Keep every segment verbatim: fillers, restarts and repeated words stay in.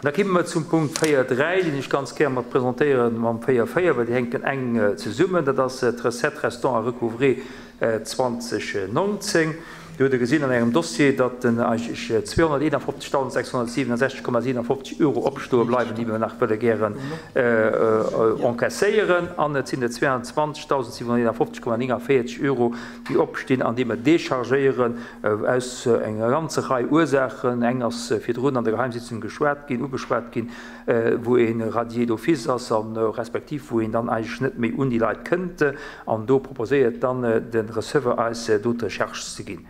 Da komme mer zum Punkt véier dräi, deen ech ganz gär mat presentéieren mam véier véier, well déi hänken enk zesummen. Dat ass d'Recette restant à recouvrer zwanzeg neunzéng. Do hutt Der gesinn an Ärem Dossier, datt eigentlech zweehonnerteenafofzegdausendsechshonnertsiwwenundsechzeg Komma siewenundfofzeg Euro opstoe bleiwen, déi mer nach wëlle gären encaisséieren. An et sinn et zweiundzwanzegdausendsiewenhonnerteenafofzeg Komma néngundvéierzeg Euro, déi opstinn an déi mer déchargéieren aus enger ganzer Rei Ursaachen. Eng ass virdrun an der Geheimsitzung geschwat ginn, ugeschwat ginn, wou ee radié d'office ass a respektiv wou een dann eigentlech net méi un déi Leit kënnt. An do proposéiert dann de Receveur eis do d'Recharge ze ginn.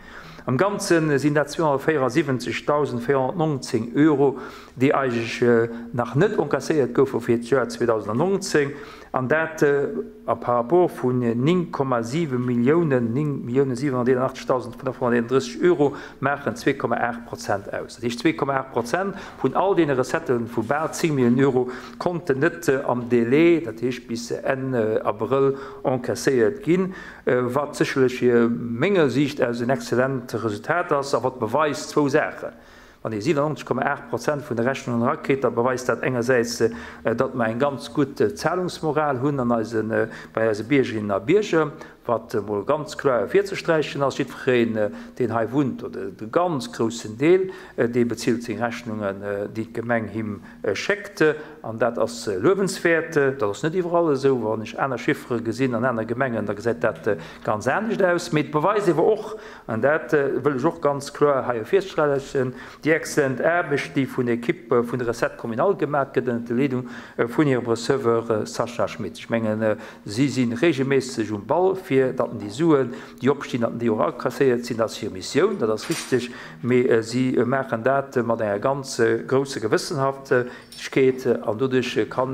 Am Ganze sinn dat zweehonnertvéierundsiwwenzegdausendvéierhonnertneunzéng Euro, déi eigentlech nach net encasséiert goufe fir d'Joer zweedausendneunzéng, an dat a par rapport vun néng Komma siwe Milliounen, néng Milliounen siewenhonnerteenundachtzegdausendfënnefhonnerteenunddrësseg Euro, maachen zwee Komma aacht Prozent aus. Dat heescht, zwee Komma aacht Prozent vun all deene Recettë vu bal zéng Milliounen Euro konnten net am Délai, dat heescht bis Enn Abrëll, encaisséiert ginn, wat sécherlech menger Siicht aus en exzellent Resultat ass a wat beweist zwou Saachen. Wann ee siewenundneunzeg Komma aacht Prozent vun de Rechnungen erakritt, da beweist dat engersäits, datt mer eng ganz gutt Zahlungsmoral hunn an eise, bei eise Biergerinnen a Bierger, wat emol ganz kloer ervirzesträichen ass. Jiddwereen, deen hei wunnt, oder de ganz groussen Deel, dee bezilt seng Rechnungen, déi d'Gemeng him schéckt. An dat ass luewenswäert. Dat ass net iwwerall esou. Wann ech aner Chiffere gesinn an aner Gemengen, da gesäit dat ganz anescht aus. Mee et beweist ewer och, an dat wëll ech och ganz kloer hei ervirsträichen, déi exzellent Aarbecht, déi vun der Equipe vun der Recette communale gemaach gëtt, ënner der Leedung vun hirem Receveur Sacha Schmit. Ech mengen, si si regelméisseg um Ball, fir datt déi Suen, déi opstinn, datt déi och akasséiert sinn. Dat ass hir Missioun, dat ass richteg, mee si maachen dat mat enger ganz grousser Gewëssenhaftegkeet, an doduerch kann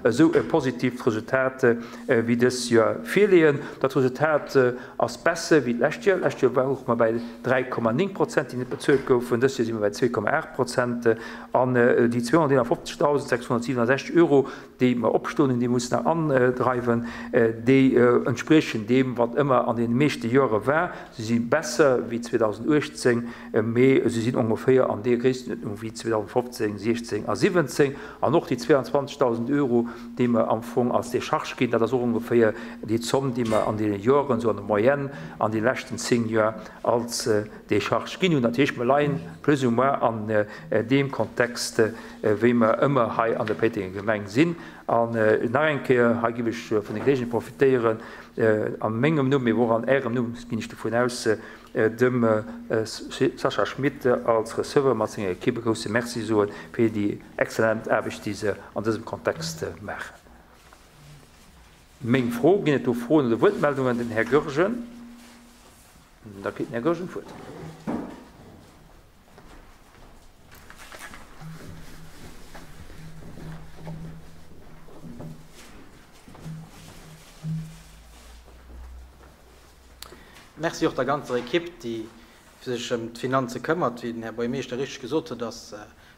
esou e positiivt Resultat wéi dës Joer virleeën. Dat Resultat ass besser wéi d'lescht Joer. D'lescht Joer ware mer bei dräi Komma néng Prozent, déi net bezuelt goufen. Dës Joer si mer bei zwee Komma aacht Prozent. An déi zweehonnerteenundfofzegdausendsechshonnertsiwwenundsechzeg Euro, déi mer opstoen hunn, déi mussen nach andreiwen, déi entspriechen deem, wat ëmmer an den meeschte Jore war. Si si besser wéi zweetausenduechtzéng, mee si sinn ongeféier an där Gréisstenuerdnung wéi zweetausendfofzéng, siechzéng a siwwenzéng. An och déi zweiundzwanzegdausend Euro, déi mer am Fong als Décharge ginn, dat ass och ongeféier déi Zomm, déi mer an deene Joren, esou an der Moyenne, an de leschten zéng Joer als Décharge ginn hunn. Dat heescht, mer leien plus ou moins an deem Kontext, wéi mer ëmmer hei an der Péitenger Gemeng sinn. An nach eng Kéier, hei ginn ech vun der Geleegenheet profitéieren, a mengem Numm, mee och an Ärem Numm, ginn ech dovun aus, dem Sacha Schmit als Receveur mat senger Equipe e grousse Merci soen fir déi exzellent Aarbecht, déi se an dësem Kontext maachen. Meng Fro, ginn et do Froen oder Wuertmeldungen? Den Här Goergen. Da kritt den Här Goergen d'Wuert. Merci och der ganzer Equipe, déi sech ëm d'Finanze këmmert. Wéi den Här Buergermeeschter richteg gesot huet, ass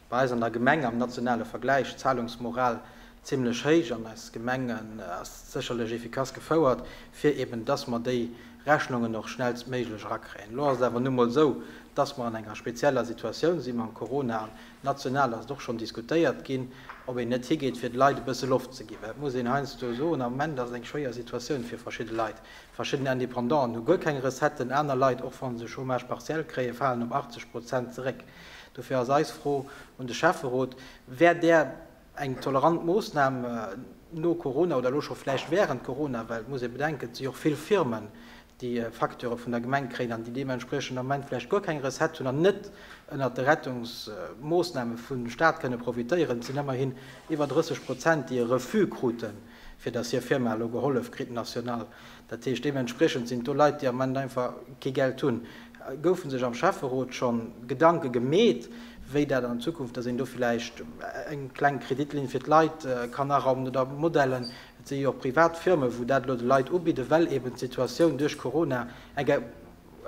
bei eis an der Gemeng am nationale Vergläich d'Zahlungsmoral zimmlech héich an eis Gemeng ass sécherlech efficace gefouert, fir eben, dass mer déi Rechnungen och schnellstméiglech erakréien. Elo ass et awer nu mol esou, dass mer an enger spezieller Situatioun si mam Corona an national ass et och schonn diskutéiert ginn, ob een net higeet, fir de Leit e bësse Loft ze ginn. Well et muss een heiansdo soen, am Moment ass et eng schwéier Situatioun fir verschidde Leit. Verschidden Independanten hu guer keng Recetten, aner Leit, och wa se Chômage partiel kréien, falen op achtzeg Prozent zeréck. Dofir ass eis Fro un de Schäfferot, Wär där eng tolerant Moossnam no Corona oder elo scho vläicht während Corona, well et muss ee bedenken, et si jo och vill Firmen, déi Facturë vun der Gemeng kréien an déi deementspriechend am Moment vläicht guer keng Recette hunn an net ënnert de Rettungsmoossname vum Stat kënne profitéieren. Et sinn ëmmerhin iwwer drësseg Prozent, déi e Refus kruten, fir datt hir Firma elo gehollef kritt national. Dat heescht, deementspriechend sinn do Leit, déi am Moment einfach kee Geld hunn. Goufe sech am Schäfferot scho Gedanke gemeet, wéi dat an Zukunft, datt een do vläicht eng kleng Kreditlinn fir d'Leit kann araumen oder Modellen, et si jo och privat Firmen, wou dat elo de Leit ubidden, well eben d'Situatioun duerch Corona eng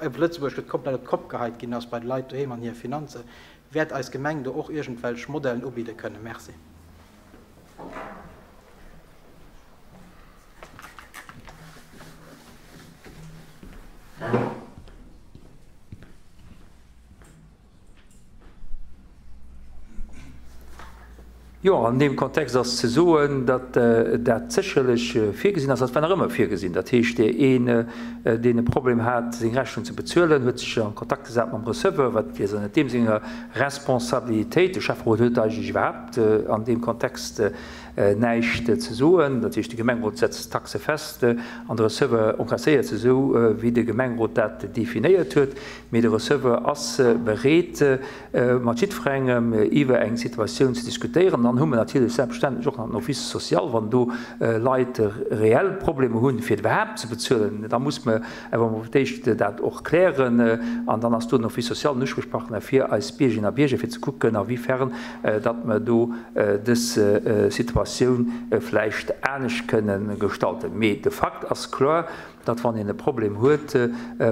op Lëtzebuerg gëtt komplett op d'Kopp geheit ginn ass bei de Leit doheem an hir Finanzen. Wäert eis Gemeng do och iergendwelch Modellen ubidde kënnen? Merci. Jo, an deem Kontext ass ze soen, datt dat sécherlech virgesinn ass. Dat war nach ëmmer virgesinn. Dat heescht, een, deen e Problem hat, seng Rechnung ze bezuelen, huet sech a Kontakt gesat mam Receveur, wat wier net deem senger Responsabilitéit. De Schäfferot huet eigentlech iwwerhaapt an deem Kontext näischt ze soen. Dat heescht, de Gemengerot setzt d'Taxe fest an de Receveur encasséiert se esou, wéi de Gemengerot dat definéiert huet. Mee de Receveur ass bereet, mat jiddwerengem iwwer eng Situatioun ze diskutéieren. Dann hu mer natierlech selbstverständlech och nach den Office social, wann do Leit reell Problemer hunn, fir iwwerhaapt ze bezuelen, da muss mer awer emol fir d'éischt dat och klären. An dann ass do den Office social den Usprichpartner fir eis Biergerinnen a Bierger, fir ze kucken, a wéi fern datt mer do dës Situatioun vläicht anescht kënnen gestalten. Mee de Fakt ass kloer, datt wann een e Problem huet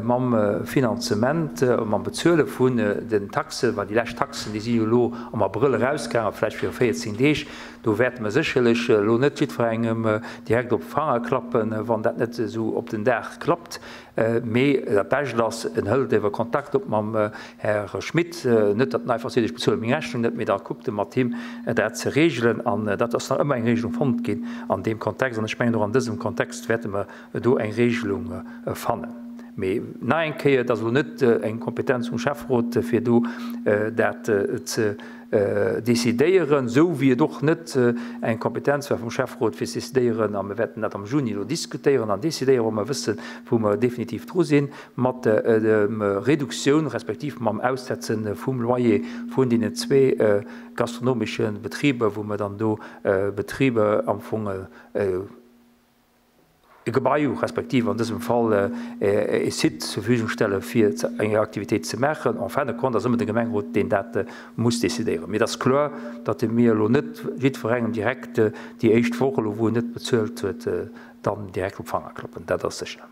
mam Finanzement, mam Bezuele vun den Taxen, well déi lescht Taxen, déi si jo elo am Abrëll erausgaangen, vläicht viru véierzéng Deeg, do wäerte mer sécherlech elo net jiddwerengem direkt op d'Fanger klappen, wann dat net esou op den Dag klappt. Mee dat Bescht ass, en hëlt ewer Kontakt op mam Här Schmit, net datt en einfach seet, ech bezuele meng Rechnung net, mee da kuckt e mat him dat ze regelen. An dat ass nach ëmmer eng Regelung fonnt ginn an deem Kontext. An ech mengen, och an dësem Kontext wäerte mer do eng Regelung fannen. Mee nach eng Kéier, et ass elo net eng Kompetenz vum Schäfferot, fir do dat ze decidéieren, esou wéi et och net eng Kompetenz war vum Schäfferot, fir ze decidéieren, a mir wäerten dat am Juni elo diskutéieren an decidéieren, wa mer wëssen, wou mer definitiv dru sinn, mat der Reduktioun respektiv mam Aussetze vum Loyer vun deenen zwee gastronomesche Betriber, wou mer dann do Betriber am Fong e Gebai respektiv an dësem Fall e Site zur Verfügung stelle fir eng Aktivitéit ze maachen. En fin de compte ass ëmmer de Gemengerot, deen dat muss decidéieren. Mee et ass kloer, datt mir elo net jiddwerengem direkt déi éischt Woch elo, wou en net bezuelt huet, dann direkt op d'Fanger klappen. Dat ass sécher.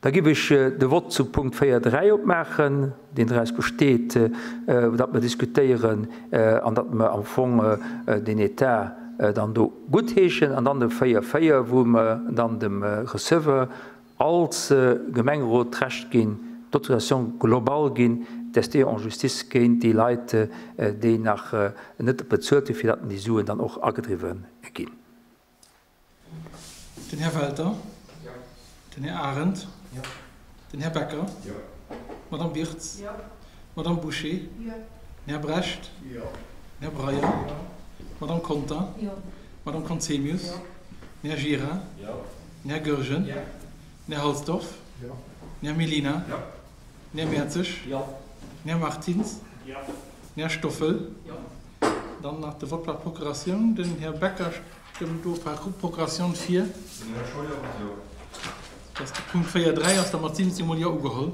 Da giff ech de Vott zu Punkt véier dräi opmaachen, deen draus besteet, datt mer diskutéieren an datt mer am Fong deen Etat dann do guttheeschen, an dann de véier véier, wou mer dann dem Receveur als Gemengerot d'Recht ginn, d'Autorisation globale ginn, d'Ester en justice géint déi Leit, déi nach net bezuelt hunn, fir datt déi Suen dann och agedriwwe ginn. Den Här Welter. Den Här Arendt. Den Här Becker. D'Madame Birtz. D'Madame Bouché. Den Här Brecht. Den Här Breyer. D'Madame Conter. D'Madame Conzemius. Den Här Gira. Den Här Goergen. Den Här Halsdorf. Den Här Mellina. Den Här Mertzig. Den Här Martins. Den Här Stoffel. Dann nach de Vott par Procuratioun. Den Här Becker stëmmt do par Procuratioun fir. Den Här Scheuer, jo. Dass de Punkt véier dräi ass da mat siwwenzéng mol Jo ugeholl.